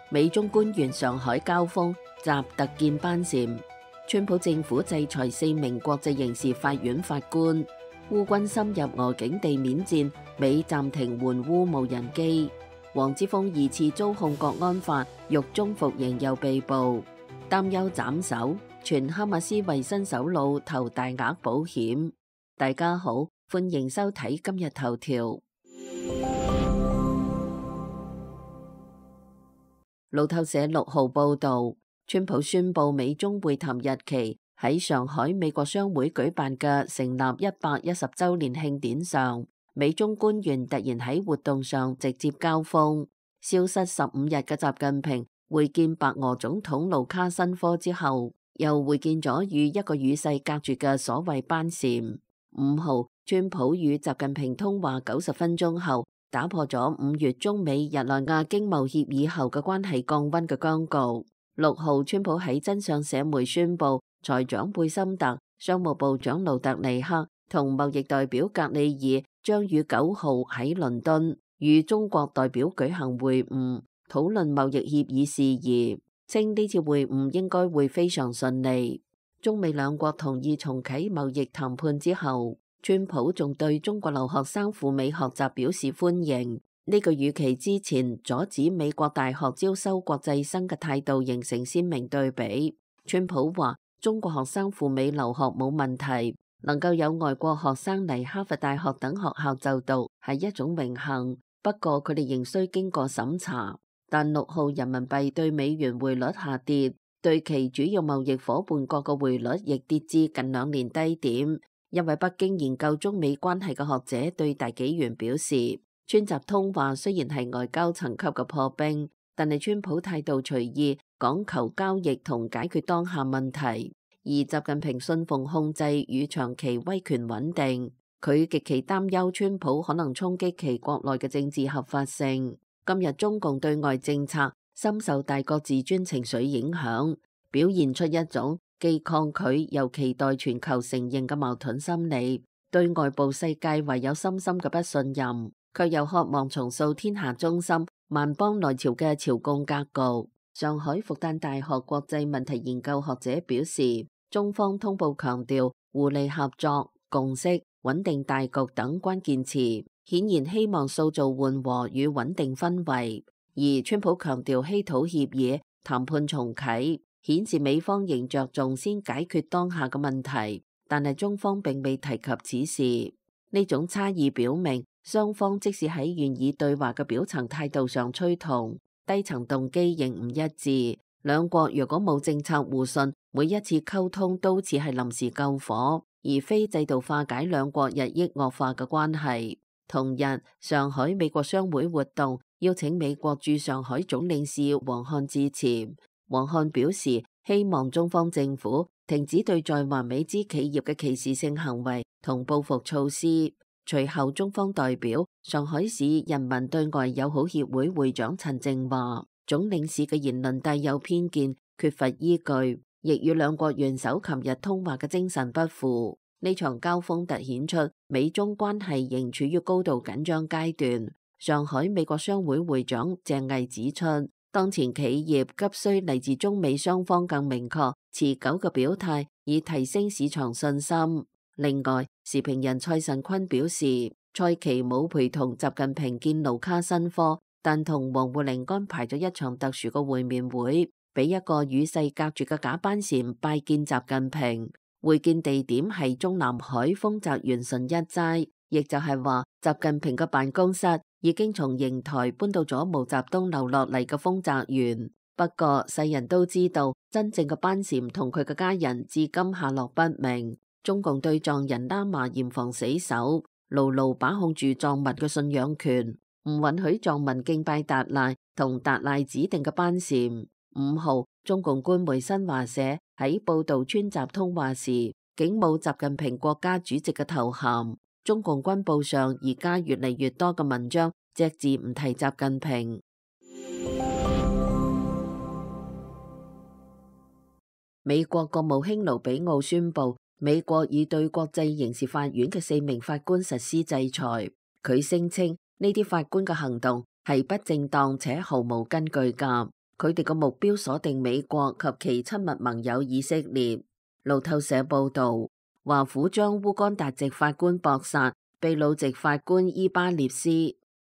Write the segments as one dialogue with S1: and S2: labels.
S1: 美中官員上海交鋒，習特見班禪。川普政府制裁4名國際刑事法院法官。烏軍深入俄境地面戰，美暫停援烏無人機。黃之鋒2次遭控國安法，獄中服刑又被捕。擔憂斬首，傳哈馬斯為新首腦投大額保險。大家好，歡迎收睇今日頭條。路透社6號報道，川普宣布美中會談日期喺上海美國商會舉辦嘅成立110週年慶典上，美中官員突然喺活動上直接交鋒。消失15日嘅習近平會見白俄總統盧卡申科之後，又會見咗與一個與世隔絕嘅所謂班禪。5號，川普與習近平通話90分鐘後，打破咗5月中美日內瓦經貿協議後嘅關係降溫嘅僵局。6號，川普喺真相社媒宣布，財長貝森特、商務部長盧特尼克同貿易代表格里爾將於9號喺倫敦與中國代表舉行會晤，討論貿易協議事宜，稱呢次會晤應該會非常順利。中美兩國同意重啟貿易談判之後，川普仲對中國留學生赴美學習表示歡迎。呢個與其之前阻止美國大學招收國際生嘅態度形成鮮明對比。川普話中國學生赴美留學冇問題，能夠有外國學生嚟哈佛大學等學校就讀係一種榮幸，不過佢哋仍需經過審查。但6號人民幣對美元匯率下跌，對其主要貿易夥伴國嘅匯率亦跌至近2年低點。一位北京研究中美關係嘅學者對大紀元表示，川習通話雖然係外交層級嘅破冰，但係川普態度隨意，講求交易同解決當下問題，而習近平信奉控制與長期威權穩定。佢極其擔憂川普可能衝擊其國內嘅政治合法性。今日中共對外政策深受大國自尊情緒影響，表現出一種既抗拒又期待全球承認嘅矛盾心理，對外部世界唯有深深嘅不信任，卻又渴望重塑天下中心萬邦內朝嘅朝貢格局。上海復旦大學國際問題研究學者表示，中方通報強調互利合作、共識、穩定大局等關鍵詞，顯然希望塑造緩和與穩定氛圍。而川普強調稀土協議談判重啟，顯示美方仍着重先解決當下嘅問題，但係中方並未提及此事。呢種差異表明，雙方即使喺願意對話嘅表層態度上趨同，低層動機仍唔一致。兩國若果冇政策互信，每一次溝通都似係臨時救火，而非制度化解兩國日益惡化嘅關係。同日，上海美國商會活動邀請美國駐上海總領事王漢致辭。王漢表示，希望中方政府停止對在華美資企業嘅歧視性行為同報復措施。隨後，中方代表上海市人民對外友好協會會長陳靜話，總領事嘅言論帶有偏見，缺乏依據，亦與兩國元首琴日通話嘅精神不符。呢場交鋒突顯出美中關係仍處於高度緊張階段。上海美國商會會長鄭毅指出，當前企業急需嚟自中美雙方更明確、持久嘅表態，以提升市場信心。另外，時評人蔡慎坤表示，蔡奇冇陪同習近平見盧卡申科，但同王滬寧安排咗一場特殊嘅會面會，俾一個與世隔絕嘅假班禪拜見習近平。會見地點係中南海豐澤園純一齋，亦就係話習近平嘅辦公室已經從瀛台搬到咗毛澤東留落嚟嘅豐澤園。不過世人都知道，真正嘅班禪同佢嘅家人至今下落不明。中共對藏人喇嘛嚴防死守，牢牢把控住藏民嘅信仰權，唔允許藏民敬拜達賴同達賴指定嘅班禪。5號，中共官媒新華社喺報道川習通話時，竟冇習近平國家主席嘅頭銜。中共軍報上而家越嚟越多嘅文章隻字唔提習近平。美國國務卿盧比奧宣布，美國已對國際刑事法院嘅4名法官實施制裁。佢聲稱呢啲法官嘅行動係不正當且毫無根據㗎。佢哋嘅目標鎖定美國及其親密盟友以色列。路透社報導，華府將烏干達籍法官博薩、秘魯籍法官伊巴列斯、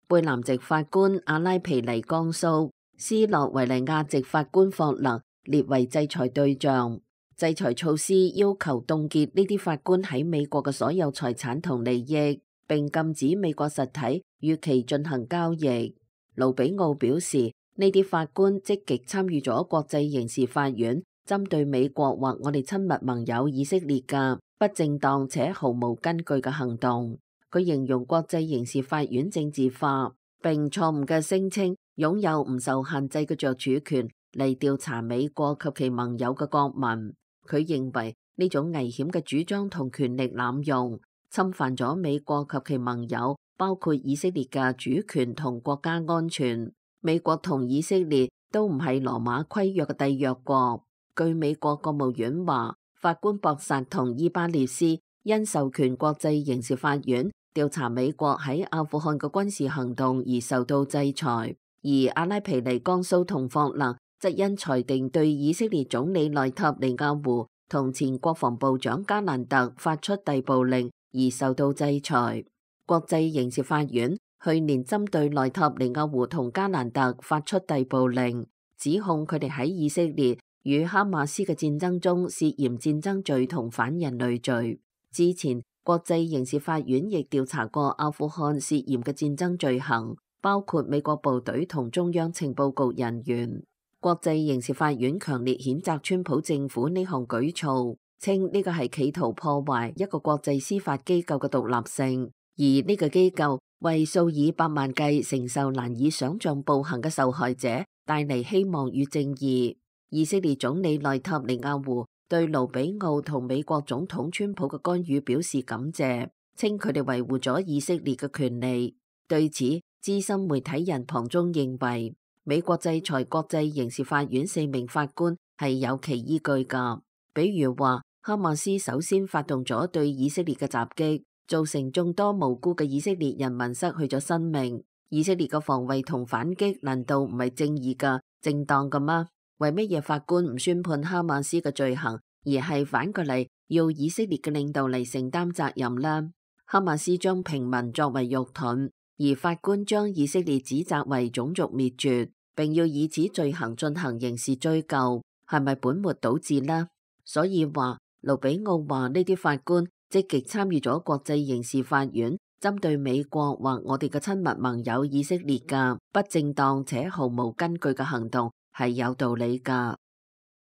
S1: 貝南籍法官阿拉皮尼江蘇、斯洛維尼亞籍法官霍勒列為制裁對象。制裁措施要求凍結呢啲法官喺美國嘅所有財產同利益，並禁止美國實體與其進行交易。盧比奧表示，呢啲法官積極參與咗國際刑事法院針對美國或我哋親密盟友以色列嘅不正當且毫無根據嘅行動。佢形容國際刑事法院政治化，並錯誤嘅聲稱擁有唔受限制嘅著主權嚟調查美國及其盟友嘅國民。佢認為呢種危險嘅主張同權力濫用，侵犯咗美國及其盟友，包括以色列嘅主權同國家安全。美國同以色列都唔係羅馬規約嘅締約國。據美國國務院話，法官博薩同伊巴列斯因授權國際刑事法院調查美國喺阿富汗嘅軍事行動而受到制裁，而阿拉皮尼江蘇同霍勒則因裁定對以色列總理內塔尼亞胡同前國防部長加蘭特發出逮捕令而受到制裁。國際刑事法院去年針對內塔尼亞胡同加蘭特發出逮捕令，指控佢哋喺以色列與哈馬斯嘅戰爭中涉嫌戰爭罪同反人類罪。之前，國際刑事法院亦調查過阿富汗涉嫌嘅戰爭罪行，包括美國部隊同中央情報局人員。國際刑事法院強烈譴責川普政府呢項舉措，稱呢個係企圖破壞一個國際司法機構嘅獨立性，而呢個機構為數以百萬計承受難以想象暴行嘅受害者帶嚟希望與正義。以色列總理內塔尼亞胡對盧比奧同美國總統川普嘅干預表示感謝，稱佢哋維護咗以色列嘅權利。對此，資深媒體人龐中認為，美國制裁國際刑事法院4名法官係有其依據㗎。比如話，哈馬斯首先發動咗對以色列嘅襲擊，造成眾多無辜嘅以色列人民失去咗生命。以色列嘅防衛同反擊難道唔係正義㗎、正當㗎嗎？為乜嘢法官唔宣判哈馬斯嘅罪行，而係反過嚟要以色列嘅領導嚟承擔責任呢？哈馬斯將平民作為肉盾，而法官將以色列指責為種族滅絕，並要以此罪行進行刑事追究，係咪本末倒置呢？所以話，盧比奧話呢啲法官積極參與咗國際刑事法院針對美國或我哋嘅親密盟友以色列嘅不正當且毫無根據嘅行動，係有道理㗎。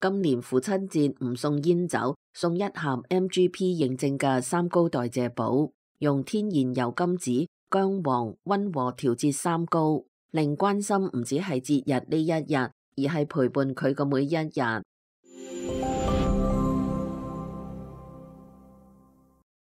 S1: 今年父親節唔送煙酒，送一盒 MGP 認證嘅三高代謝寶，用天然油甘子、薑黃溫和調節三高，令關心唔止係節日呢一日，而係陪伴佢嘅每一日。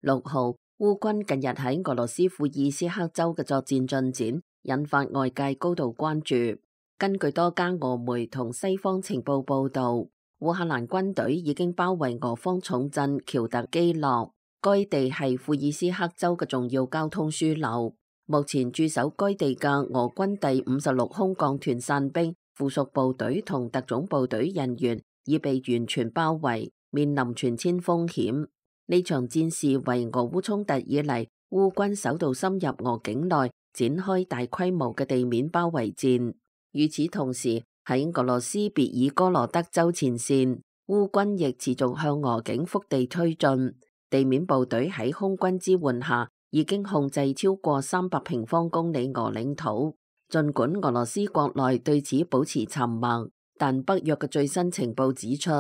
S1: 6號，烏軍近日喺俄羅斯庫爾斯克州嘅作戰進展，引發外界高度關注。根據多家俄媒同西方情報報道，烏克蘭軍隊已經包圍俄方重鎮喬特基諾，該地係庫爾斯克州嘅重要交通樞紐。目前駐守該地嘅俄軍第56空降團傘兵附屬部隊同特種部隊人員已被完全包圍，面臨全遷風險。呢場戰事為俄烏衝突以嚟烏軍首度深入俄境內展開大規模嘅地面包圍戰。與此同時，喺俄羅斯別爾哥羅德州前線，烏軍亦持續向俄境腹地推進。地面部隊喺空軍支援下，已經控制超過300平方公里俄領土。儘管俄羅斯國內對此保持沉默，但北約嘅最新情報指出，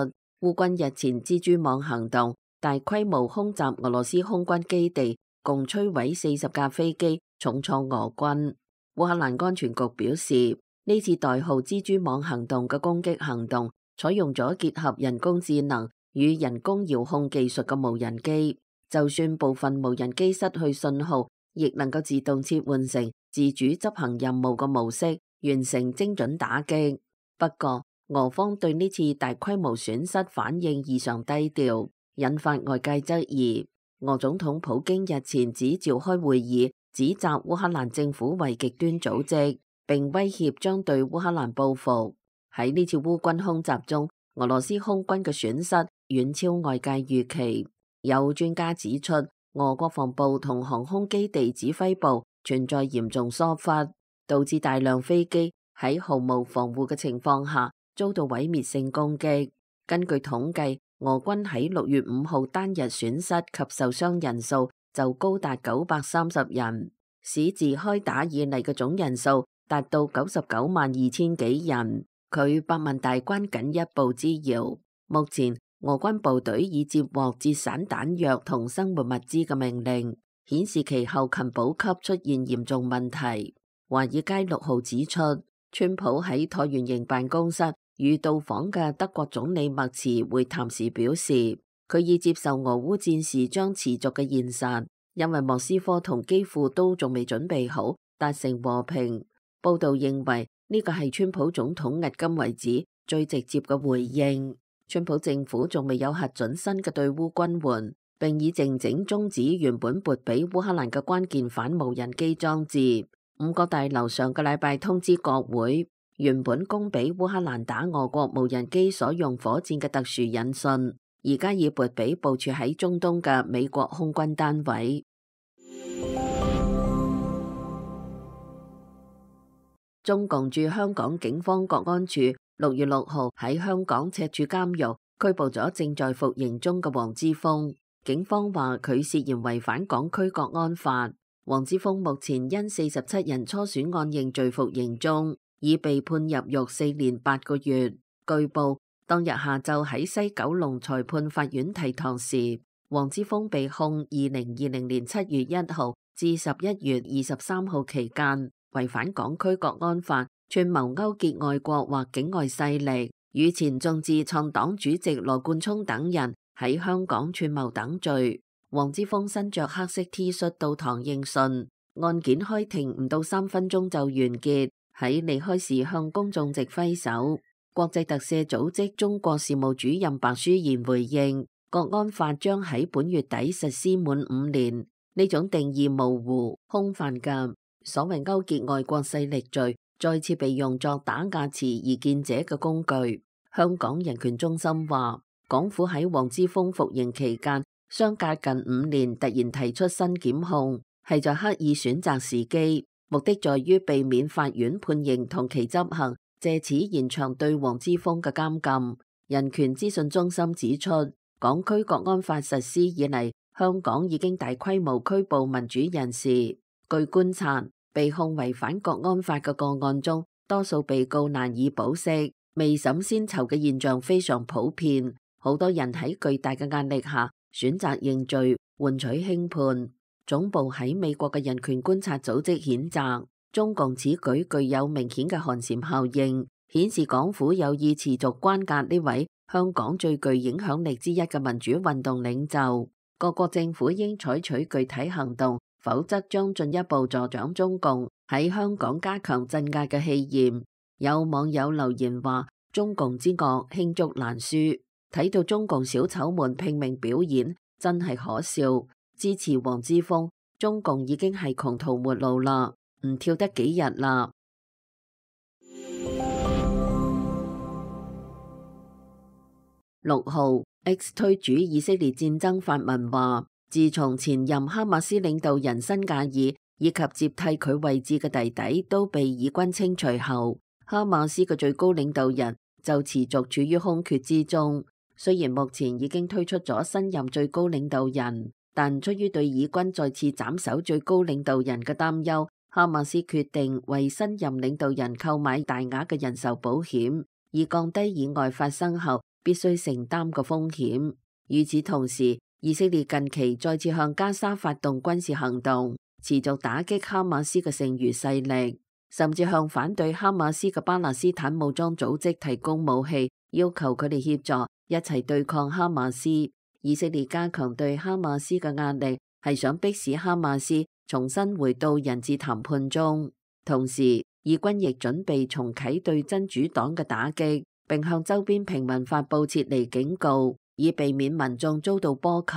S1: 烏軍日前蜘蛛網行動大規模空襲俄羅斯空軍基地，共摧毀40架飛機，重創俄軍。烏克蘭安全局表示，呢次代號蜘蛛網行動嘅攻擊行動，採用咗結合人工智能與人工遙控技術嘅無人機，就算部分無人機失去信號，亦能夠自動切換成自主執行任務嘅模式，完成精準打擊。不過，俄方對呢次大規模損失反應異常低調，引發外界質疑。俄總統普京日前只召開會議，指責烏克蘭政府為極端組織，並威脅將對烏克蘭報復。喺呢次烏軍空襲中，俄羅斯空軍嘅損失遠超外界預期。有專家指出，俄國防部同航空基地指揮部存在嚴重疏忽，導致大量飛機喺毫無防護嘅情況下遭到毀滅性攻擊。根據統計，俄軍喺6月5號單日損失及受傷人數就高達930人，史自開打以嚟嘅總人數達到992000幾人，距百萬大關僅一步之遙。目前俄軍部隊已接獲節省彈藥同生活物資嘅命令，顯示其後勤補給出現嚴重問題。華爾街6號指出，川普喺橢圓形辦公室與到訪嘅德國總理默茨會談時表示，佢已接受俄烏戰事將持續嘅現實，因為莫斯科同基輔都仲未準備好達成和平。報道認為呢個係川普總統迄今為止最直接嘅回應。川普政府仲未有核准新嘅對烏軍援，並已靜靜終止原本撥俾烏克蘭嘅關鍵反無人機裝置。五角大樓上個禮拜通知國會，原本供俾烏克蘭打俄國無人機所用火箭嘅特殊引信，而家已撥俾部署喺中東嘅美國空軍單位。中共駐香港警方國安處6月6號喺香港赤柱監獄拘捕咗正在服刑中嘅黃之鋒。警方話佢涉嫌違反港區國安法。黃之鋒目前因47人初選案認罪服刑中，已被判入獄4年8個月。據報當日下晝喺西九龍裁判法院提堂時，黃之鋒被控2020年7月1號至11月23號期間違反港區國安法，串謀勾結外國或境外勢力，與前眾志創黨主席羅冠聰等人喺香港串謀等罪。黃之鋒身着黑色 T 恤到堂應訊，案件開庭唔到3分鐘就完結。喺離開時向公眾直揮手。國際特赦組織中國事務主任白舒賢回應，國安法將喺本月底實施滿5年，呢種定義模糊、空泛嘅所謂勾結外國勢力罪，再次被用作打壓持異見者嘅工具。香港人權中心話，港府喺黃之鋒服刑期間，相隔近5年突然提出新檢控，係在刻意選擇時機，目的在於避免法院判刑同其執行，借此延長對黃之鋒嘅監禁。人權資訊中心指出，港區國安法實施以嚟，香港已經大規模拘捕民主人士。據觀察，被控違反國安法嘅個案中，多數被告難以保釋，未審先囚嘅現象非常普遍。好多人喺巨大嘅壓力下選擇認罪，換取輕判。總部喺美國嘅人權觀察組織譴責中共此舉具有明顯嘅寒蟬效應，顯示港府有意持續關押呢位香港最具影響力之一嘅民主運動領袖。各國政府應採取具體行動，否則將進一步助長中共喺香港加強鎮壓嘅氣焰。有網友留言話：中共之惡罄竹難書。睇到中共小丑們拼命表演，真係可笑。支持黃之鋒，中共已經係窮途末路啦，唔跳得幾日啦。6號 X 推主以色列戰爭發文話，自從前任哈馬斯領導人辛格爾以及接替佢位置嘅弟弟都被以軍清除後，哈馬斯嘅最高領導人就持續處於空缺之中。雖然目前已經推出咗新任最高領導人，但出於對以軍再次斬首最高領導人嘅擔憂，哈馬斯決定為新任領導人購買大額嘅人壽保險，以降低意外發生後必須承擔嘅風險。與此同時，以色列近期再次向加沙發動軍事行動，持續打擊哈馬斯嘅剩餘勢力，甚至向反對哈馬斯嘅巴勒斯坦武裝組織提供武器，要求佢哋協助一齊對抗哈馬斯。以色列加強對哈馬斯嘅壓力，係想迫使哈馬斯重新回到人質談判中。同時，以軍亦準備重啟對真主黨嘅打擊，並向周邊平民發佈撤離警告，以避免民眾遭到波及。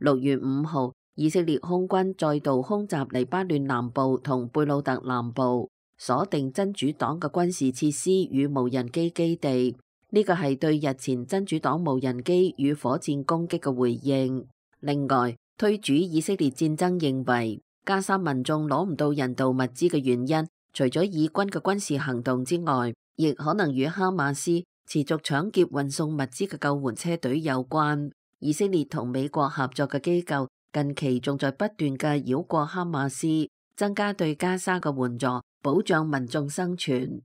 S1: 6月5號，以色列空軍再度空襲黎巴嫩南部同貝魯特南部，鎖定真主黨嘅軍事設施與無人機基地。呢個係對日前真主黨無人機與火箭攻擊嘅回應。另外，推主以色列戰爭認為，加沙民眾攞唔到人道物資嘅原因，除咗以軍嘅軍事行動之外，亦可能與哈馬斯持續搶劫運送物資嘅救援車隊有關。以色列同美國合作嘅機構近期仲在不斷嘅繞過哈馬斯，增加對加沙嘅援助，保障民眾生存。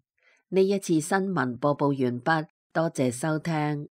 S1: 呢一次新聞播報完畢，多謝收聽。